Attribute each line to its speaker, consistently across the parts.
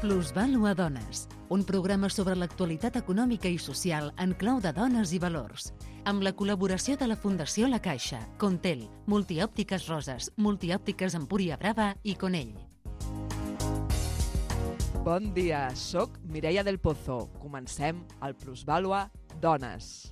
Speaker 1: Plusvàlua Dones, un programa sobre l'actualitat econòmica i social en clau de dones i valors, amb la col·laboració de la Fundació La Caixa, Contel, Multiòptiques Roses, Multiòptiques Empúria Brava i Conell.
Speaker 2: Bon dia, soc Mireia del Pozo. Comencem el Plusvàlua Dones.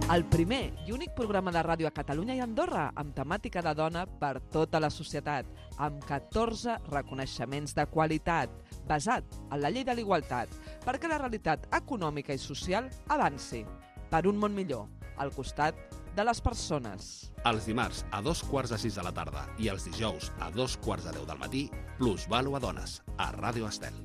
Speaker 2: El primer i únic programa de ràdio a Catalunya i Andorra amb temàtica de dona per tota la societat, amb 14 reconeixements de qualitat, basat en la llei de l'igualtat, perquè la realitat econòmica i social avanci per un món millor, al costat de les persones.
Speaker 3: Els dimarts a 2:45 de la tarda i els dijous a 2:45 del matí, Plusvàlua Dones, a Ràdio Estel.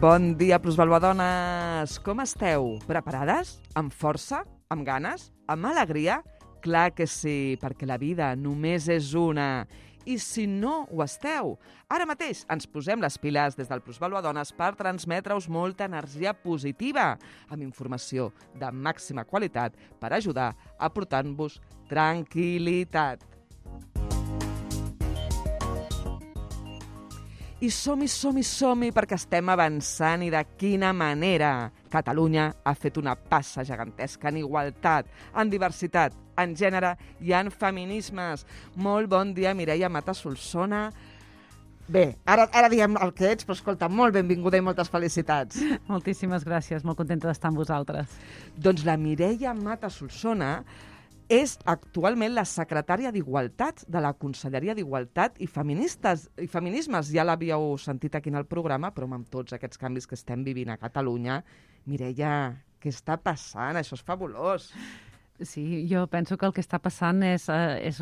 Speaker 2: Bon dia, Plusvàlua Dones! Com esteu? Preparades? Amb força? Amb ganes? Amb alegria? Clar que sí, perquè la vida només és una. I si no ho esteu, ara mateix ens posem les piles des del Plusvàlua Dones per transmetre-us molta energia positiva, amb informació de màxima qualitat per ajudar a portar-vos tranquil·litat. I som-hi, perquè estem avançant i de quina manera. Catalunya ha fet una passa gegantesca en igualtat, en diversitat, en gènere i en feminismes. Molt bon dia, Mireia Mata Solsona. Bé, ara diem el que ets, però escolta, molt benvinguda i moltes felicitats.
Speaker 4: Moltíssimes gràcies, molt contenta d'estar amb vosaltres.
Speaker 2: Doncs la Mireia Mata Solsona és actualment la secretària d'Igualtat de la Conselleria d'Igualtat i Feminismes. Ja l'havíeu sentit aquí en el programa, però amb tots aquests canvis que estem vivint a Catalunya, Mireia, què està passant? Això és fabulós.
Speaker 4: Sí, jo penso que el que està passant és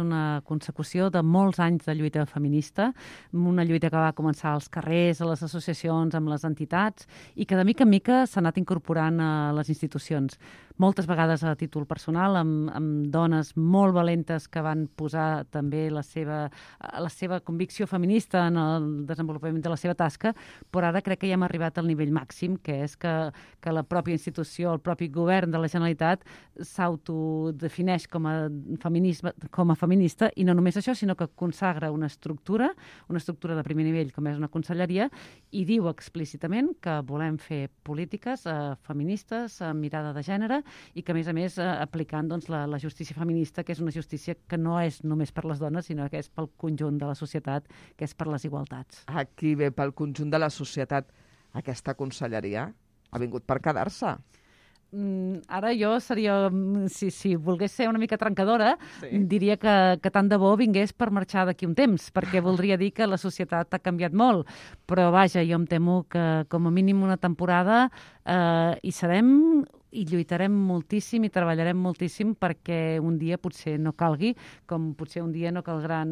Speaker 4: una consecució de molts anys de lluita feminista, una lluita que va començar als carrers, a les associacions, amb les entitats, i que de mica en mica s'ha anat incorporant a les institucions. Moltes vegades a títol personal, amb dones molt valentes que van posar també la seva convicció feminista en el desenvolupament de la seva tasca, però ara crec que ja hem arribat al nivell màxim, que és que la pròpia institució, el propi govern de la Generalitat s'autodefineix com a feminista, i no només això, sinó que consagra una estructura de primer nivell, com és una conselleria, i diu explícitament que volem fer polítiques feministes, amb mirada de gènere, i que, a més, aplicant la justícia feminista, que és una justícia que no és només per les dones, sinó que és pel conjunt de la societat, que és per les igualtats.
Speaker 2: Aquí ve pel conjunt de la societat. Aquesta conselleria ha vingut per quedar-se.
Speaker 4: Ara jo seria, si volgués ser una mica trencadora,
Speaker 2: sí,
Speaker 4: diria que tant de bo vingués per marxar d'aquí un temps, perquè voldria dir que la societat ha canviat molt. Però vaja, jo em temo que com a mínim una temporada hi serem i lluitarem moltíssim i treballarem moltíssim perquè un dia potser no calgui, com potser un dia no caldran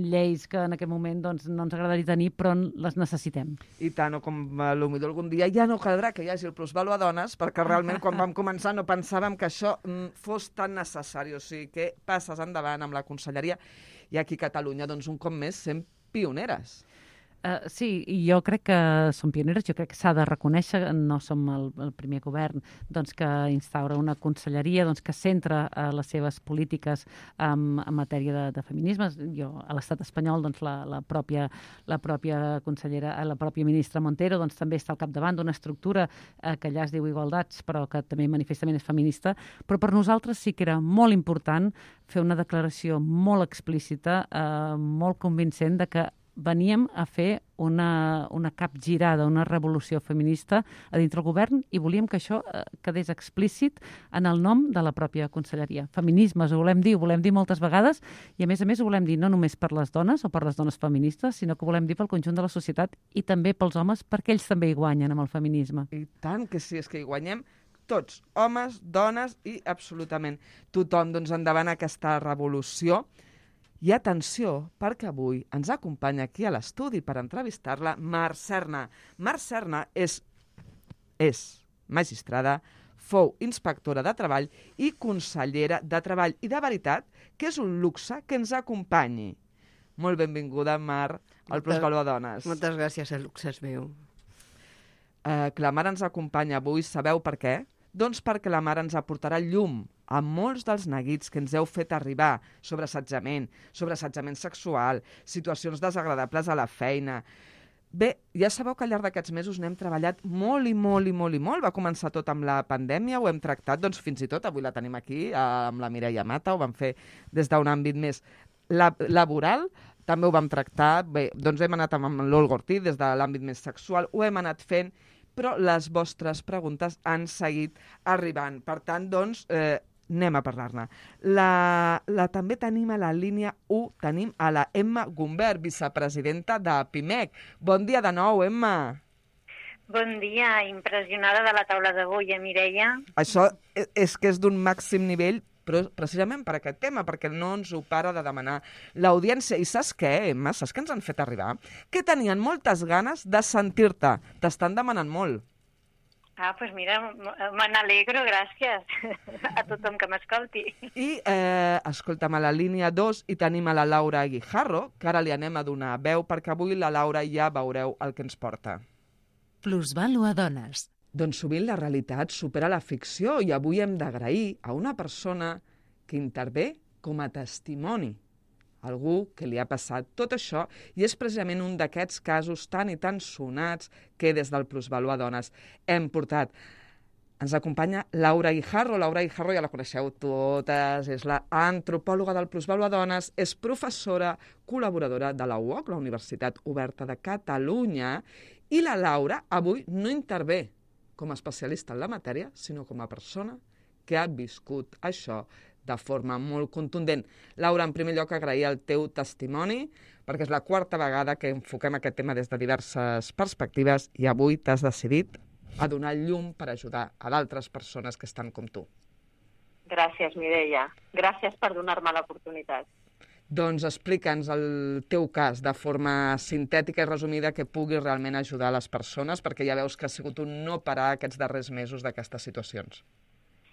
Speaker 4: lleis que en aquest moment no ens agradaria tenir, però les necessitem.
Speaker 2: I tant, o com potser algun dia ja no caldrà que hi hagi el Plusvàlua Dones, perquè realment quan vam començar no pensàvem que això fos tan necessari. O sigui, que passes endavant amb la conselleria i aquí a Catalunya, doncs un cop més, sent pioneres.
Speaker 4: Sí, i jo crec que som pioneres, jo crec que s'ha de reconèixer, no som el primer govern que instaura una conselleria que centra les seves polítiques en matèria de feminismes. A l'estat espanyol la pròpia consellera, la pròpia ministra Montero també està al capdavant d'una estructura que allà es diu Igualdats, però que també manifestament és feminista. Però per nosaltres sí que era molt important fer una declaració molt explícita, molt convincent de que veníem a fer una capgirada, una revolució feminista a dintre el govern, i volíem que això quedés explícit en el nom de la pròpia conselleria. Feminismes, ho volem dir moltes vegades, i a més ho volem dir no només per les dones o per les dones feministes, sinó que ho volem dir pel conjunt de la societat i també pels homes, perquè ells també hi guanyen amb el feminisme.
Speaker 2: I tant que sí, és que hi guanyem tots, homes, dones i absolutament tothom. Doncs endavant aquesta revolució. I atenció, perquè avui ens acompanya aquí a l'estudi per entrevistar-la Mar Serna. Mar Serna és magistrada, fou inspectora de treball i consellera de treball. I de veritat que és un luxe que ens acompanyi. Molt benvinguda, Mar, al Plusvàlua Dones.
Speaker 5: Moltes gràcies, el luxe és meu.
Speaker 2: Que la Mar ens acompanya avui, sabeu per què? Doncs perquè la Mar ens aportarà llum a molts dels neguits que ens heu fet arribar sobre assetjament sexual, situacions desagradables a la feina. Bé, ja sabeu que al llarg d'aquests mesos n'hem treballat molt i molt i molt i molt. Va començar tot amb la pandèmia, ho hem tractat, doncs fins i tot, avui la tenim aquí, amb la Mireia Mata, ho vam fer des d'un àmbit més laboral, també ho vam tractar, bé, doncs hem anat amb l'Olga Ortiz des de l'àmbit més sexual, ho hem anat fent, però les vostres preguntes han seguit arribant. Per tant, doncs, anem a parlar-ne. També tenim a la línia 1, tenim a la Emma Gumbert, vicepresidenta de PIMEC. Bon dia de nou, Emma.
Speaker 5: Bon dia, impressionada de la taula d'avui, Mireia?
Speaker 2: Això és que és d'un màxim nivell, però precisament per aquest tema, perquè no ens ho para de demanar l'audiència. I saps què, Emma? Saps què ens han fet arribar? Que tenien moltes ganes de sentir-te. T'estan demanant molt.
Speaker 5: Ah, doncs mira, me n'alegro, gràcies a tothom que m'escolti.
Speaker 2: I, escolta'm, a la línia 2 hi tenim a la Laura Guijarro, que ara li anem a donar veu, perquè avui la Laura ja veureu el que ens porta.
Speaker 1: Plusvàlua Dones.
Speaker 2: Doncs sovint la realitat supera la ficció i avui hem d'agrair a una persona que intervé com a testimoni. Algú que li ha passat tot això i és precisament un d'aquests casos tan i tan sonats que des del Plusvàlua Dones hem portat. Ens acompanya Laura Guijarro. Laura Guijarro ja la coneixeu totes, és la antropòloga del Plusvàlua Dones, és professora col·laboradora de la UOC, la Universitat Oberta de Catalunya, i la Laura avui no intervé com a especialista en la matèria, sinó com a persona que ha viscut això de forma molt contundent. Laura, en primer lloc, agrair el teu testimoni, perquè és la quarta vegada que enfoquem aquest tema des de diverses perspectives i avui t'has decidit a donar llum per ajudar a d'altres persones que estan com tu.
Speaker 5: Gràcies, Mireia. Gràcies per donar-me l'oportunitat.
Speaker 2: Doncs explica'ns el teu cas de forma sintètica i resumida que pugui realment ajudar les persones, perquè ja veus que ha sigut un no parar aquests darrers mesos d'aquestes situacions.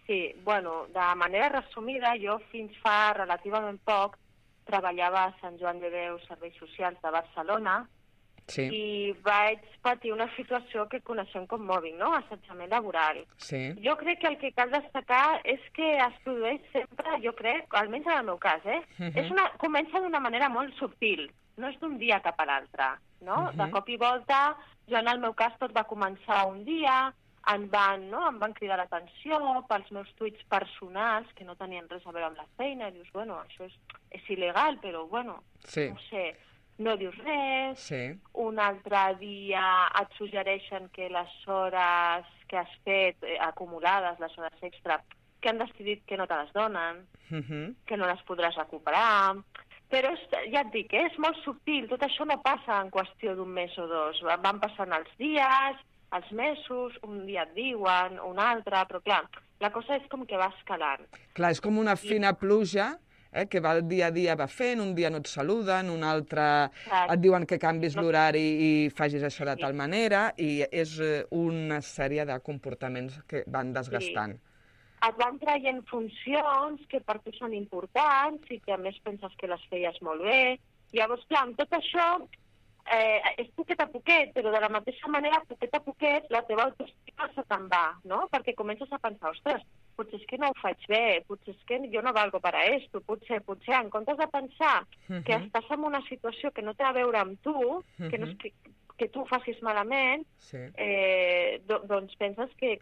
Speaker 5: Sí, bueno, de manera resumida, jo fins fa relativament poc treballava a Sant Joan de Déu Serveis Socials de Barcelona i vaig patir una situació que coneixem com mobbing, no? Assetjament laboral.
Speaker 2: Sí.
Speaker 5: Jo crec que el que cal destacar és que es produeix sempre, jo crec, almenys en el meu cas, comença d'una manera molt subtil, no és d'un dia cap a l'altre, no? De cop i volta, jo en el meu cas tot va començar un dia, em van cridar l'atenció pels meus tuits personals, que no tenien res a veure amb la feina, i dius, bueno, això és il·legal, però bueno, no sé, no dius res, un altre dia et suggereixen que les hores que has fet acumulades, les hores extra, que han decidit que no te les donen, que no les podràs recuperar, però ja et dic, és molt subtil, tot això no passa en qüestió d'un mes o dos, van passant els dies, els mesos, un dia et diuen, un altre, però clar, la cosa és com que va escalant.
Speaker 2: Clar, és com una fina pluja, que va dia a dia va fent, un dia no et saluden, un altre et diuen que canvis l'horari i facis això de tal manera, i és una sèrie de comportaments que van desgastant.
Speaker 5: Et van traient funcions que per tu són importants i que a més penses que les feies molt bé. Llavors, clar, amb tot això és poquet a poquet, però de la mateixa manera, poquet a poquet, la teva autoestima se te'n va, no? Perquè comences a pensar, ostres, potser és que no ho faig bé, potser és que jo no valgo per a esto, potser, en comptes de pensar que estàs en una situació que no té a veure amb tu, que no és que tu ho facis malament, doncs penses que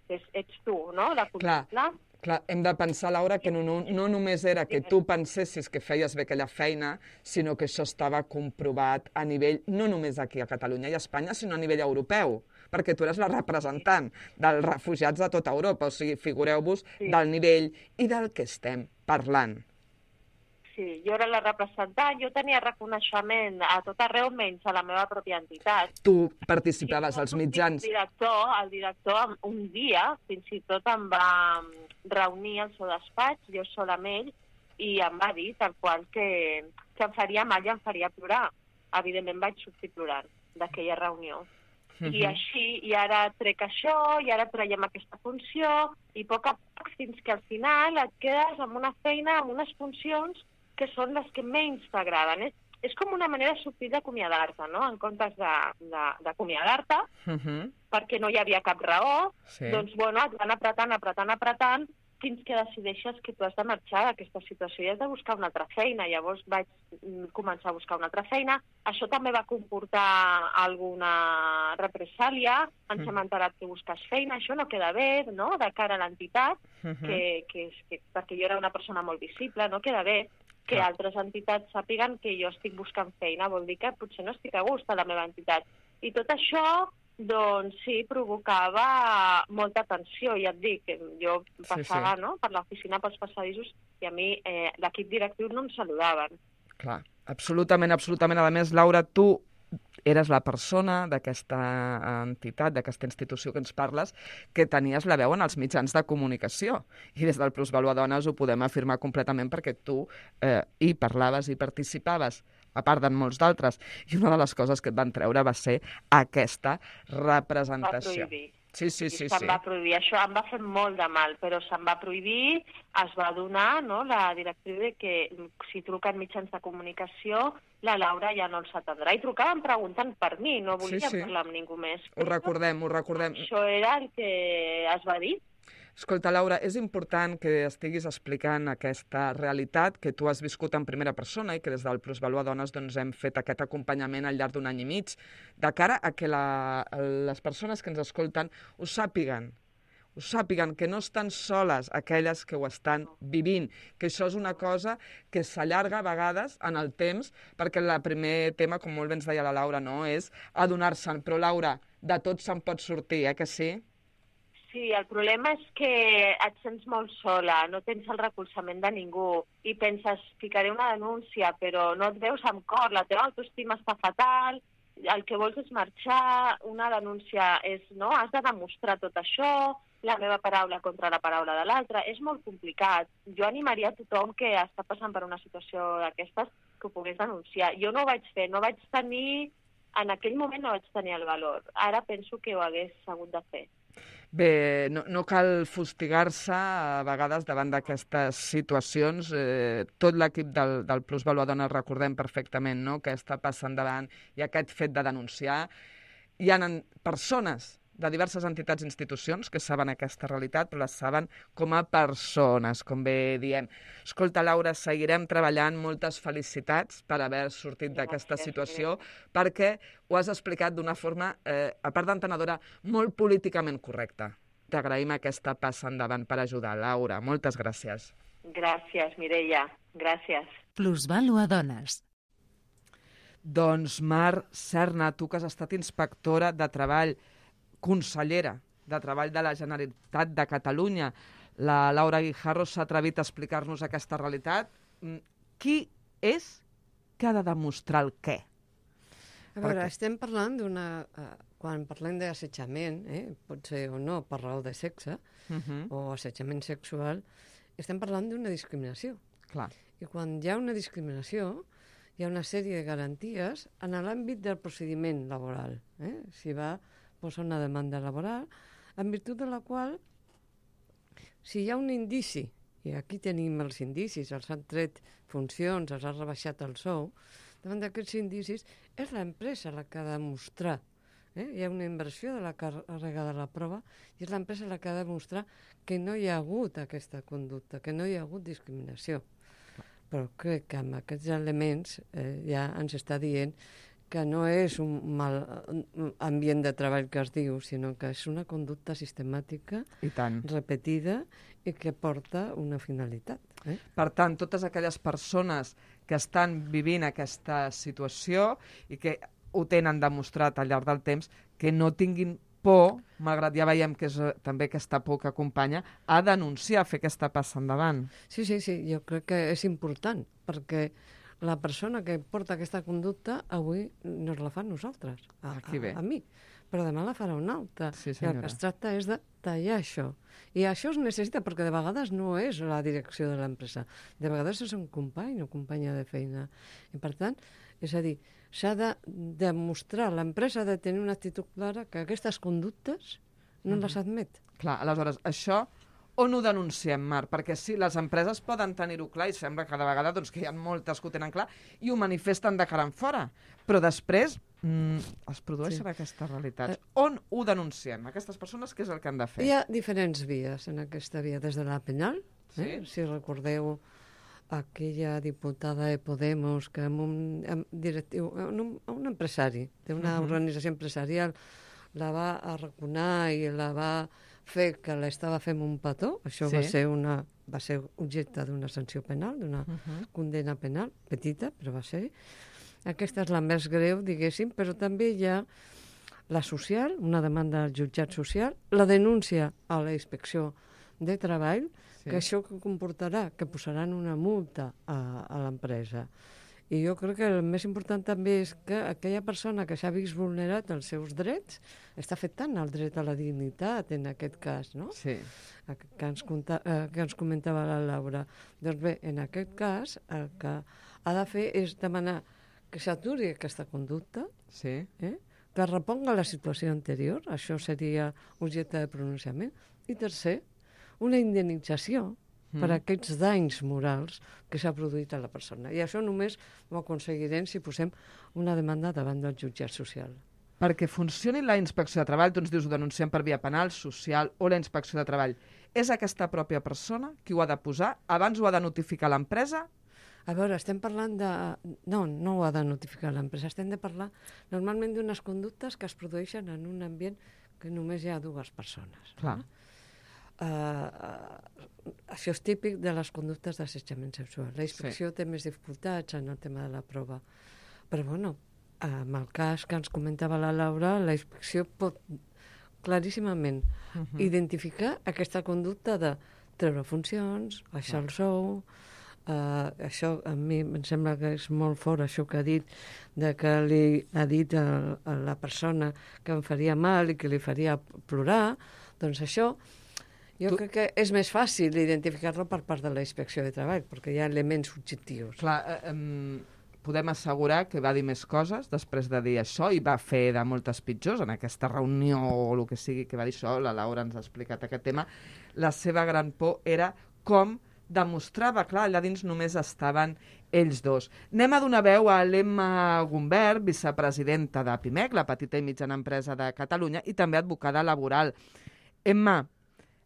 Speaker 5: ets tu, no? La culpable.
Speaker 2: Clar, hem de pensar, Laura, que no només era que tu pensessis que feies bé aquella feina, sinó que això estava comprovat a nivell, no només aquí a Catalunya i a Espanya, sinó a nivell europeu, perquè tu eres la representant dels refugiats de tota Europa, o sigui, figureu-vos del nivell i del que estem parlant.
Speaker 5: Sí, jo era la representant, jo tenia reconeixement a tot arreu menys a la meva pròpia entitat.
Speaker 2: Tu participaves als mitjans.
Speaker 5: El director un dia fins i tot em va reunir al seu despatx, jo sola amb ell, i em va dir tal qual que em faria mal i em faria plorar. Evidentment vaig sortir plorant d'aquella reunió. I així, i ara trec això, i ara traiem aquesta funció, i a poc a poc, fins que al final et quedes amb una feina, amb unes funcions que són les que menys t'agraden. És com una manera subtil d'acomiadar-te, no? En comptes d'acomiadar-te, perquè no hi havia cap raó, doncs, bueno, et van apretant, fins que decideixes que tu has de marxar d'aquesta situació i has de buscar una altra feina. Llavors vaig començar a buscar una altra feina. Això també va comportar alguna represàlia. Ens hem enterat que busques feina, això no queda bé, no?, de cara a l'entitat, perquè jo era una persona molt visible, no queda bé que altres entitats sàpiguen que jo estic buscant feina, vol dir que potser no estic a gust a la meva entitat. I tot això, doncs sí, provocava molta tensió, ja et dic, jo passava no, per l'oficina, pels passadissos, i a mi l'equip directiu no em saludaven.
Speaker 2: Clar, absolutament, absolutament. A més, Laura, tu eres la persona d'aquesta entitat, d'aquesta institució que ens parles, que tenies la veu en els mitjans de comunicació. I des del Plusvalua Dones ho podem afirmar completament perquè tu hi parlaves i participaves, a part d'en molts d'altres. I una de les coses que et van treure va ser aquesta representació.
Speaker 5: Va prohibir.
Speaker 2: Sí.
Speaker 5: Se'm va prohibir. Això em va fer molt de mal, però se'm va prohibir, es va donar, no, la directriu de que si truquen mitjans de comunicació, la Laura ja no els atendrà. I trucaven preguntant per mi, no volia parlar amb ningú més.
Speaker 2: Ho recordem.
Speaker 5: Això era el que es va dir.
Speaker 2: Escolta, Laura, és important que estiguis explicant aquesta realitat que tu has viscut en primera persona i que des del Plusvalua Dones doncs, hem fet aquest acompanyament al llarg d'un any i mig, de cara a que les persones que ens escolten ho sàpiguen que no estan soles aquelles que ho estan vivint, que això és una cosa que s'allarga a vegades en el temps, perquè el primer tema, com molt bé ens deia la Laura, no, és adonar-se'n. Però, Laura, de tot se'n pot sortir, que sí?
Speaker 5: Sí, el problema és que et sents molt sola, no tens el recolzament de ningú i penses, ficaré una denúncia, però no et veus amb cor, la teva autoestima està fatal, el que vols és marxar, una denúncia és, no, has de demostrar tot això, la meva paraula contra la paraula de l'altra, és molt complicat. Jo animaria a tothom que està passant per una situació d'aquestes que ho pogués denunciar. Jo no ho vaig fer, en aquell moment no vaig tenir el valor. Ara penso que ho hagués hagut de fer.
Speaker 2: Bé, no cal fustigar-se a vegades davant d'aquestes situacions. Tot l'equip del Plusvalua Dones recordem perfectament, no?, que està passant davant i aquest fet de denunciar. Hi ha persones de diverses entitats i institucions que saben aquesta realitat, però les saben com a persones, com bé diem. Escolta, Laura, seguirem treballant. Moltes felicitats per haver sortit d'aquesta situació, perquè ho has explicat d'una forma, a part d'entenedora, molt políticament correcta. T'agraïm aquesta passa endavant per ajudar. Laura, moltes gràcies.
Speaker 5: Gràcies, Mireia. Gràcies.
Speaker 1: Plusvalua Dones.
Speaker 2: Doncs Mar Serna, tu que has estat inspectora de treball, consellera de Treball de la Generalitat de Catalunya, la Laura Guijarro s'ha atrevit a explicar-nos aquesta realitat. Qui és que ha de demostrar el què?
Speaker 6: A veure, estem parlant d'una... Quan parlem d'assetjament, pot ser o no per raó de sexe, o assetjament sexual, estem parlant d'una discriminació.
Speaker 2: Clar.
Speaker 6: I quan hi ha una discriminació, hi ha una sèrie de garanties en l'àmbit del procediment laboral. Si va posa una demanda laboral, en virtut de la qual, si hi ha un indici, i aquí tenim els indicis, els han tret funcions, els ha rebaixat el sou, davant d'aquests indicis és l'empresa la que ha de demostrar. Hi ha una inversió de la càrrega de la prova i és l'empresa la que ha de demostrar que no hi ha hagut aquesta conducta, que no hi ha hagut discriminació. Però crec que amb aquests elements ja ens està dient que no és un mal ambient de treball que es diu, sinó que és una conducta sistemàtica, repetida, i que porta una finalitat.
Speaker 2: Per tant, totes aquelles persones que estan vivint aquesta situació i que ho tenen demostrat al llarg del temps, que no tinguin por, malgrat ja veiem que és també aquesta por que acompanya, a denunciar, a fer aquesta passa endavant.
Speaker 6: Sí, jo crec que és important, perquè la persona que porta aquesta conducta avui no la fa nosaltres, a mi, però demà la farà una altra.
Speaker 2: Sí,
Speaker 6: i el que es tracta és de tallar això. I això es necessita perquè de vegades no és la direcció de l'empresa, de vegades és un company o companya de feina. I per tant, és a dir, s'ha de demostrar, l'empresa ha de tenir una actitud clara que aquestes conductes no les admet.
Speaker 2: Clar, aleshores, això on ho denunciem, Mar? Perquè sí, les empreses poden tenir-ho clar i sembla cada vegada doncs, que hi ha moltes que ho tenen clar i ho manifesten de cara en fora. Però després es produeixen aquestes realitats. On ho denunciem? Aquestes persones, què és el que han de fer?
Speaker 6: Hi ha diferents vies en aquesta via, des de la penal, si recordeu aquella diputada de Podemos que un empresari d'una organització empresarial la va arraconar i la va fer que l'estava fent un petó. Això va ser objecte d'una sanció penal, d'una condemna penal, petita, però va ser. Aquesta és la més greu, diguéssim, però també hi ha la social, una demanda al jutjat social, la denúncia a la inspecció de treball, que això comportarà que posaran una multa a l'empresa. I jo crec que el més important també és que aquella persona que s'ha vist vulnerat els seus drets està afectant el dret a la dignitat, en aquest cas, no?
Speaker 2: Sí.
Speaker 6: Que ens comentava la Laura. Doncs bé, en aquest cas, el que ha de fer és demanar que s'aturi aquesta conducta, que reponga la situació anterior, això seria objecte de pronunciament, i tercer, una indemnització per aquests danys morals que s'ha produït a la persona. I això només ho aconseguirem si posem una demanda davant del jutjat social.
Speaker 2: Perquè funcioni la inspecció de treball, tu ens dius ho denunciem per via penal, social o la inspecció de treball, és aquesta pròpia persona qui ho ha de posar? Abans ho ha de notificar l'empresa?
Speaker 6: A veure, estem parlant de... No ho ha de notificar l'empresa. Estem de parlar normalment d'unes conductes que es produeixen en un ambient que només hi ha dues persones.
Speaker 2: Clar.
Speaker 6: Això és típic de les conductes d'assetjament sexual. La inspecció té més dificultats en el tema de la prova. Però, bueno, amb el cas que ens comentava la Laura, la inspecció pot claríssimament identificar aquesta conducta de treure funcions, baixar el sou. Això a mi em sembla que és molt fort, això que ha dit, de que li ha dit a la persona que em faria mal i que li faria plorar. Doncs això jo crec que és més fàcil identificar-lo per part de la inspecció de treball, perquè hi ha elements objectius.
Speaker 2: Clar, podem assegurar que va dir més coses després de dir això i va fer de moltes pitjors en aquesta reunió o el que sigui que va dir això. La Laura ens ha explicat aquest tema. La seva gran por era com demostrava, clar, allà dins només estaven ells dos. Anem a donar veu a l'Emma Gumbert, vicepresidenta de PIMEC, la petita i mitjana empresa de Catalunya, i també advocada laboral. Emma,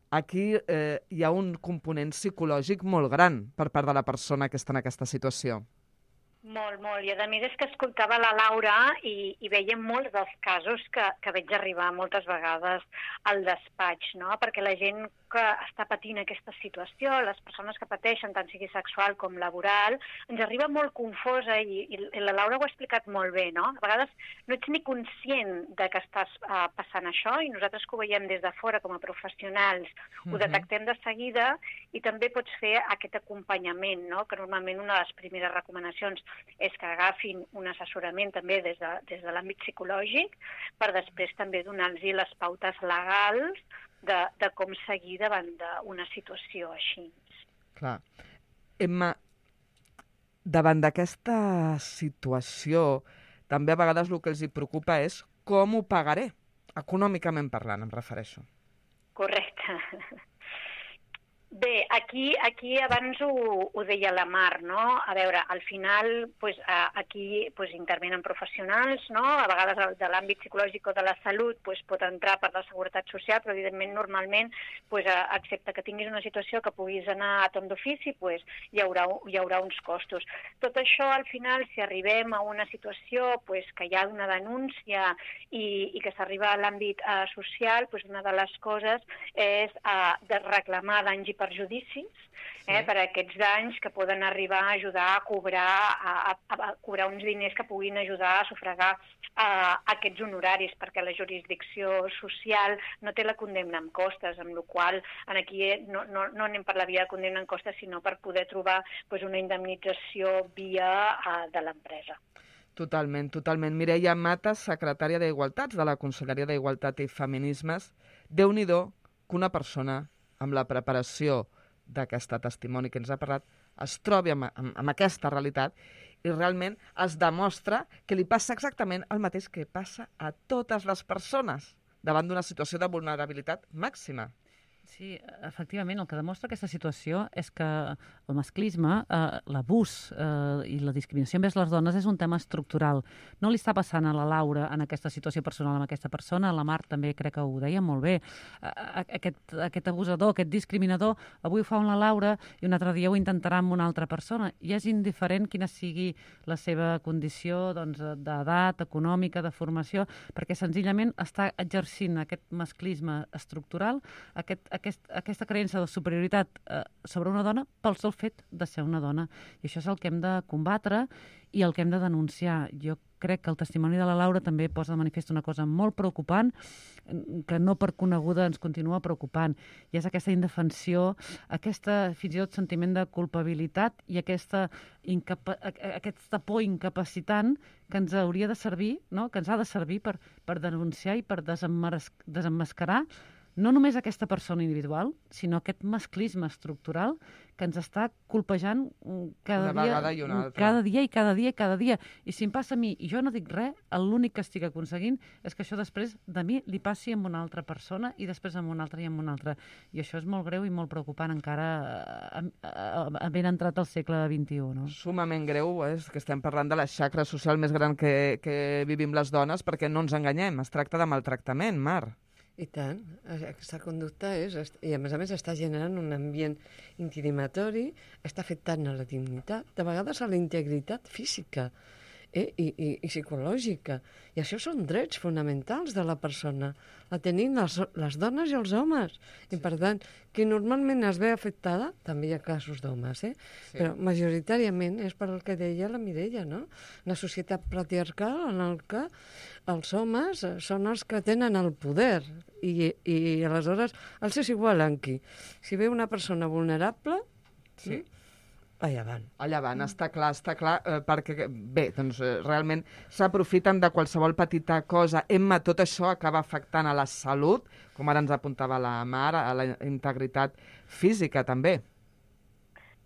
Speaker 2: aquí hi ha un component psicològic molt gran per part de la persona que està en aquesta situació.
Speaker 7: Molt, molt. I a més és que escoltava la Laura i veiem molts dels casos que veig arribar moltes vegades al despatx, no? Perquè la gent que està patint aquesta situació, les persones que pateixen, tant sigui sexual com laboral, ens arriba molt confosa i la Laura ho ha explicat molt bé, no? A vegades no ets ni conscient de que estàs passant això i nosaltres que ho veiem des de fora com a professionals ho detectem de seguida i també pots fer aquest acompanyament, no? Que normalment una de les primeres recomanacions és que agafin un assessorament també des de l'àmbit psicològic per després també donar-los les pautes legals de com seguir davant d'una situació així.
Speaker 2: Clar. Emma, davant d'aquesta situació, també a vegades el que els preocupa és com ho pagaré, econòmicament parlant, em refereixo.
Speaker 7: Correcte. Bé, aquí abans ho deia la Mar, no? A veure, al final aquí intervenen professionals, no? A vegades de l'àmbit psicològic o de la salut pot entrar per la seguretat social, però evidentment normalment, excepte que tinguis una situació que puguis anar a torn d'ofici, hi haurà uns costos. Tot això, al final, si arribem a una situació que hi ha una denúncia i que s'arriba a l'àmbit social, una de les coses és de reclamar danys i perjudicis per aquests danys que poden arribar a ajudar a cobrar uns diners que puguin ajudar a sufragar aquests honoraris, perquè la jurisdicció social no té la condemna amb costes, amb la qual aquí no anem per la via de condemna amb costes, sinó per poder trobar una indemnització via de l'empresa.
Speaker 2: Totalment, totalment. Mireia Matas, secretària d'Igualtats de la Conselleria d'Igualtat i Feminismes, Déu-n'hi-do que una persona amb la preparació d'aquest testimoni que ens ha parlat es trobi amb aquesta realitat i realment es demostra que li passa exactament el mateix que passa a totes les persones davant d'una situació de vulnerabilitat màxima.
Speaker 4: Sí, efectivament, el que demostra aquesta situació és que el masclisme, l'abús i la discriminació envers les dones és un tema estructural. No li està passant a la Laura en aquesta situació personal amb aquesta persona, la Mar també crec que ho deia molt bé. Aquest abusador, aquest discriminador, avui ho fa amb la Laura i un altre dia ho intentarà amb una altra persona. I és indiferent quina sigui la seva condició d'edat, econòmica, de formació, perquè senzillament està exercint aquest masclisme estructural, aquesta creença de superioritat sobre una dona pel sol fet de ser una dona. I això és el que hem de combatre i el que hem de denunciar. Jo crec que el testimoni de la Laura també posa de manifest una cosa molt preocupant, que no per coneguda ens continua preocupant, i és aquesta indefensió, aquesta fins i tot sentiment de culpabilitat i aquesta por incapacitant que ens hauria de servir, no? Que ens ha de servir per denunciar i per desemmascarar no només aquesta persona individual, sinó aquest masclisme estructural que ens està colpejant cada dia. I si em passa a mi i jo no dic res, l'únic que estic aconseguint és que això després de mi li passi amb una altra persona i després amb una altra i amb una altra. I això és molt greu i molt preocupant encara havent entrat al segle XXI. No?
Speaker 2: Sumament greu, és que estem parlant de la xacra social més gran que vivim les dones, perquè no ens enganyem, es tracta de maltractament, Mar.
Speaker 6: I tant, aquesta conducta i a més està generant un ambient intimidatori, està afectant a la dignitat, de vegades a la integritat física i psicològica. I això són drets fonamentals de la persona, la tenim les dones i els homes. I per tant, qui normalment es ve afectada, també hi ha casos d'homes, sí. Però majoritàriament és per el que deia la Mireia, no? Una societat patriarcal en el que els homes són els que tenen el poder i aleshores els és igual en qui. Si ve una persona vulnerable, allà van,
Speaker 2: està clar, perquè, bé, doncs realment s'aprofiten de qualsevol petita cosa. Emma, tot això acaba afectant a la salut, com ara ens apuntava la Mar, a la integritat física també.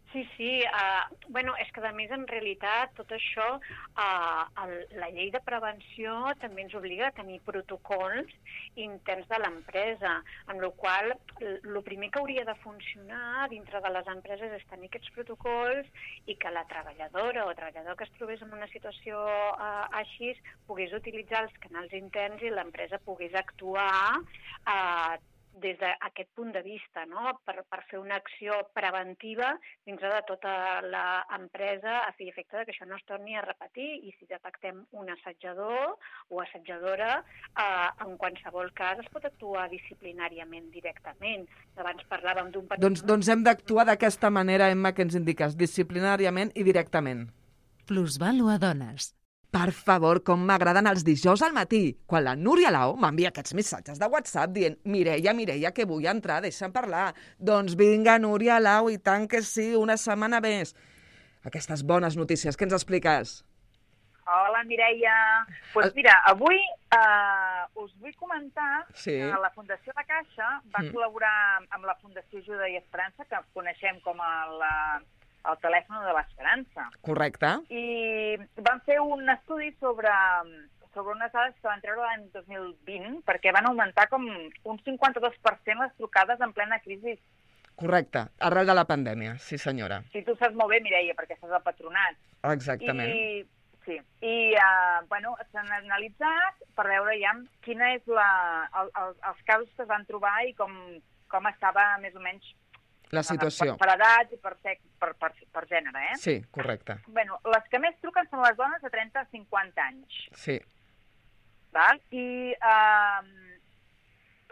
Speaker 7: Sí, és que a més en realitat tot això, la llei de prevenció també ens obliga a tenir protocols interns de l'empresa, amb la qual el primer que hauria de funcionar dintre de les empreses és tenir aquests protocols i que la treballadora o treballador que es trobés en una situació així pogués utilitzar els canals interns i l'empresa pogués actuar des d'aquest punt de vista, no? Per fer una acció preventiva dins de tota l'empresa a fi i efecte que això no es torni a repetir i si detectem un assetjador o assetjadora, en qualsevol cas es pot actuar disciplinàriament directament. Abans parlàvem d'un petit...
Speaker 2: Doncs hem d'actuar d'aquesta manera, Emma, que ens indiques, disciplinàriament i directament.
Speaker 1: Plusvàlua Dones.
Speaker 2: Per favor, com m'agraden els dijous al matí, quan la Núria Lau m'envia aquests missatges de WhatsApp dient Mireia, que vull entrar, deixa'm parlar. Doncs vinga, Núria Lau, i tant que sí, una setmana més. Aquestes bones notícies, què ens expliques?
Speaker 8: Hola, Mireia. Doncs mira, avui us vull comentar que la Fundació La Caixa va col·laborar amb la Fundació Ajuda i Esperança, que coneixem com el telèfon de l'Esperança.
Speaker 2: Correcte.
Speaker 8: I van fer un estudi sobre unes dades que van treure l'any 2020, perquè van augmentar com un 52% les trucades en plena crisi.
Speaker 2: Correcte, arrel de la pandèmia, sí senyora.
Speaker 8: Sí, tu saps molt bé, Mireia, perquè estàs al patronat.
Speaker 2: Exactament.
Speaker 8: S'han analitzat per veure ja quina és els casos que es van trobar i com estava més o menys
Speaker 2: la situació.
Speaker 8: Per edat i per gènere, eh?
Speaker 2: Sí, correcte.
Speaker 8: Les que més truquen són les dones de 30 a 50 anys.
Speaker 2: Sí.
Speaker 8: Val? I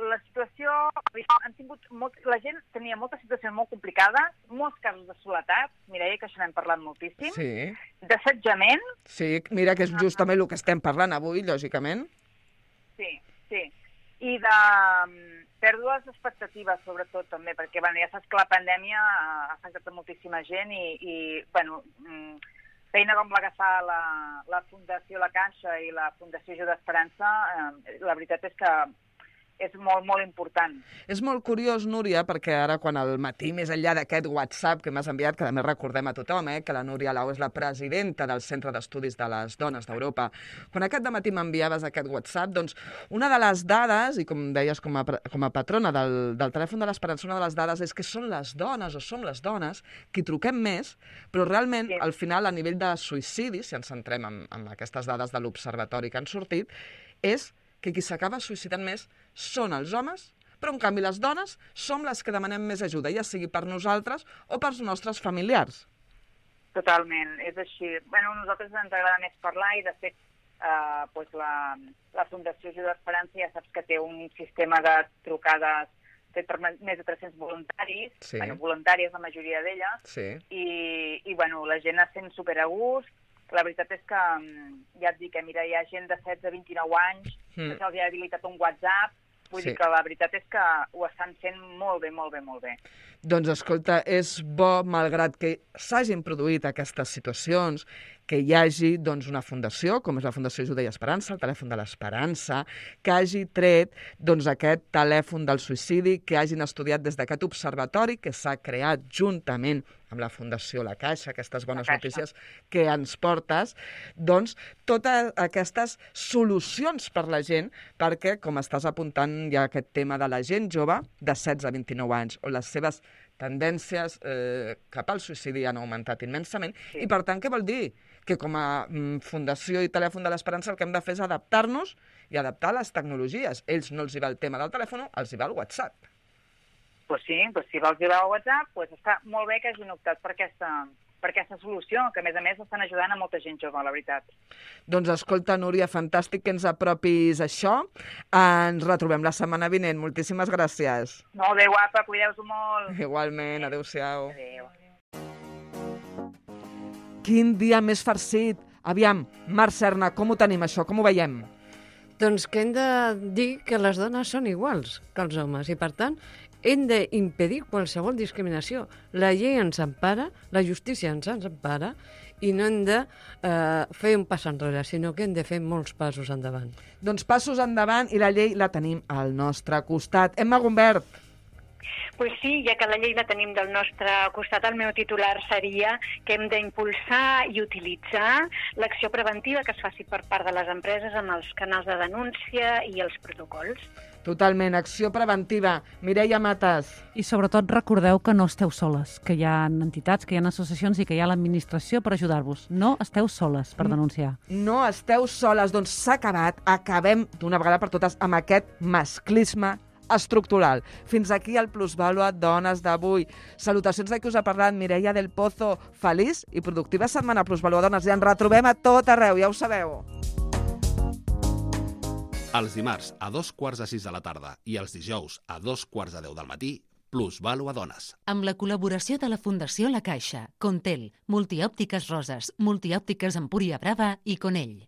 Speaker 8: la situació... La gent tenia moltes situacions molt complicades, molts casos de soledat, Mireia, que això n'hem parlat moltíssim.
Speaker 2: Sí.
Speaker 8: D'assetjament.
Speaker 2: Sí, mira que és justament el que estem parlant avui, lògicament.
Speaker 8: Sí. I de pèrdues d'expectatives, sobretot, també, perquè ja saps que la pandèmia ha afectat a moltíssima gent i feina com la que fa la Fundació La Caixa i la Fundació Ajuda Esperança, la veritat és que és molt, molt important.
Speaker 2: És molt curiós, Núria, perquè ara quan al matí, més enllà d'aquest WhatsApp que m'has enviat, que a més recordem a tothom, que la Núria Lau és la presidenta del Centre d'Estudis de les Dones d'Europa, quan aquest dematí m'enviaves aquest WhatsApp, doncs una de les dades, i com deies com a patrona del telèfon de l'Esperança, una de les dades és que són les dones, o som les dones, qui truquem més, però realment, al final, a nivell de suïcidi, si ens centrem en aquestes dades de l'observatori que han sortit, és que qui s'acaba suïcidant més són els homes, però en canvi les dones som les que demanem més ajuda, ja sigui per nosaltres o pels nostres familiars.
Speaker 8: Totalment, és així. Bueno, a nosaltres ens agrada més parlar i, de fet, la Fundació Ajuda Esperança ja saps que té un sistema de trucades fet per més de 300 voluntaris,
Speaker 2: sí.
Speaker 8: Voluntàries la majoria d'elles,
Speaker 2: sí.
Speaker 8: I la gent es sent superagust. La veritat és que, ja et dic, mira, hi ha gent de 16 a 29 anys que se'ls ha habilitat un WhatsApp, vull dir que la veritat és que ho estan fent molt bé, molt bé, molt bé.
Speaker 2: Doncs escolta, és bo, malgrat que s'hagin produït aquestes situacions, que hi hagi doncs, una fundació, com és la Fundació Ajuda i Esperança, el telèfon de l'Esperança, que hagi tret doncs, aquest telèfon del suïcidi, que hagin estudiat des d'aquest observatori que s'ha creat juntament amb la Fundació La Caixa, aquestes bones notícies que ens portes, doncs totes aquestes solucions per la gent, perquè, com estàs apuntant, hi ha aquest tema de la gent jove de 16 a 29 anys, on les seves tendències cap al suïcidi han augmentat immensament, i per tant, què vol dir? Que com a Fundació i Telèfon de l'Esperança el que hem de fer és adaptar-nos i adaptar les tecnologies. Ells no els hi va el tema del telèfon, els hi va el WhatsApp.
Speaker 8: Pues sí, si els hi va el WhatsApp, està molt bé que hagin optat per aquesta solució, que a més estan ajudant a molta gent jove, la veritat. Doncs
Speaker 2: escolta, Núria, fantàstic que ens apropis això. Ens retrobem la setmana vinent. Moltíssimes gràcies.
Speaker 8: Molt bé, guapa, cuideu-vos molt.
Speaker 2: Igualment, adéu-siau.
Speaker 8: Adéu.
Speaker 2: Quin dia més farcit. Aviam, Mar Serna, com ho tenim això? Com ho veiem?
Speaker 6: Doncs que hem de dir que les dones són iguals que els homes i, per tant, hem d'impedir qualsevol discriminació. La llei ens empara, la justícia ens empara i no hem de fer un pas enrere, sinó que hem de fer molts passos endavant.
Speaker 2: Doncs passos endavant i la llei la tenim al nostre costat. Emma Gumbert.
Speaker 7: Pues sí, ja que la llei la tenim del nostre costat, el meu titular seria que hem d'impulsar i utilitzar l'acció preventiva que es faci per part de les empreses amb els canals de denúncia i els protocols.
Speaker 2: Totalment, acció preventiva. Mireia Matas.
Speaker 4: I sobretot recordeu que no esteu soles, que hi ha entitats, que hi ha associacions i que hi ha l'administració per ajudar-vos. No esteu soles per denunciar.
Speaker 2: No esteu soles, doncs s'ha acabat, acabem d'una vegada per totes amb aquest masclisme estructural. Fins aquí el Plusvàlua Dones d'avui. Salutacions de qui us ha parlat, Mireia del Pozo. Feliç i productiva setmana, Plusvàlua Dones, i ens retrobem a tot arreu, ja ho sabeu.
Speaker 3: Els dimarts a 5:15 de la tarda i els dijous a 5:45 del matí, Plusvàlua Dones.
Speaker 1: Amb la col·laboració de la Fundació La Caixa, Contel, Multiòptiques Roses, Multiòptiques Empúria Brava i Conell.